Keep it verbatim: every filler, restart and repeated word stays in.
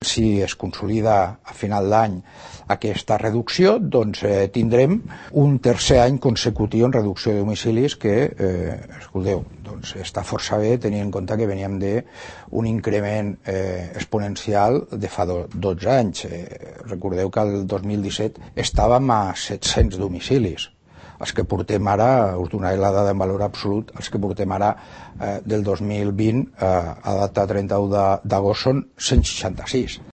si es consolida a final d'any aquesta reducció, doncs eh, tindrem un tercer any consecutiu en reducció de domicilis que, eh, escolteu, doncs està força bé tenint en compte que veníem d'un increment eh, exponencial de fa do, dotze anys. Eh, recordeu que el dos mil disset estàvem a set-cents domicilis. Els que portem ara, us donaré la dada en valor absolut, els que portem ara eh, del dos mil vint eh, a data trenta-u d'agost són cent seixanta-sis.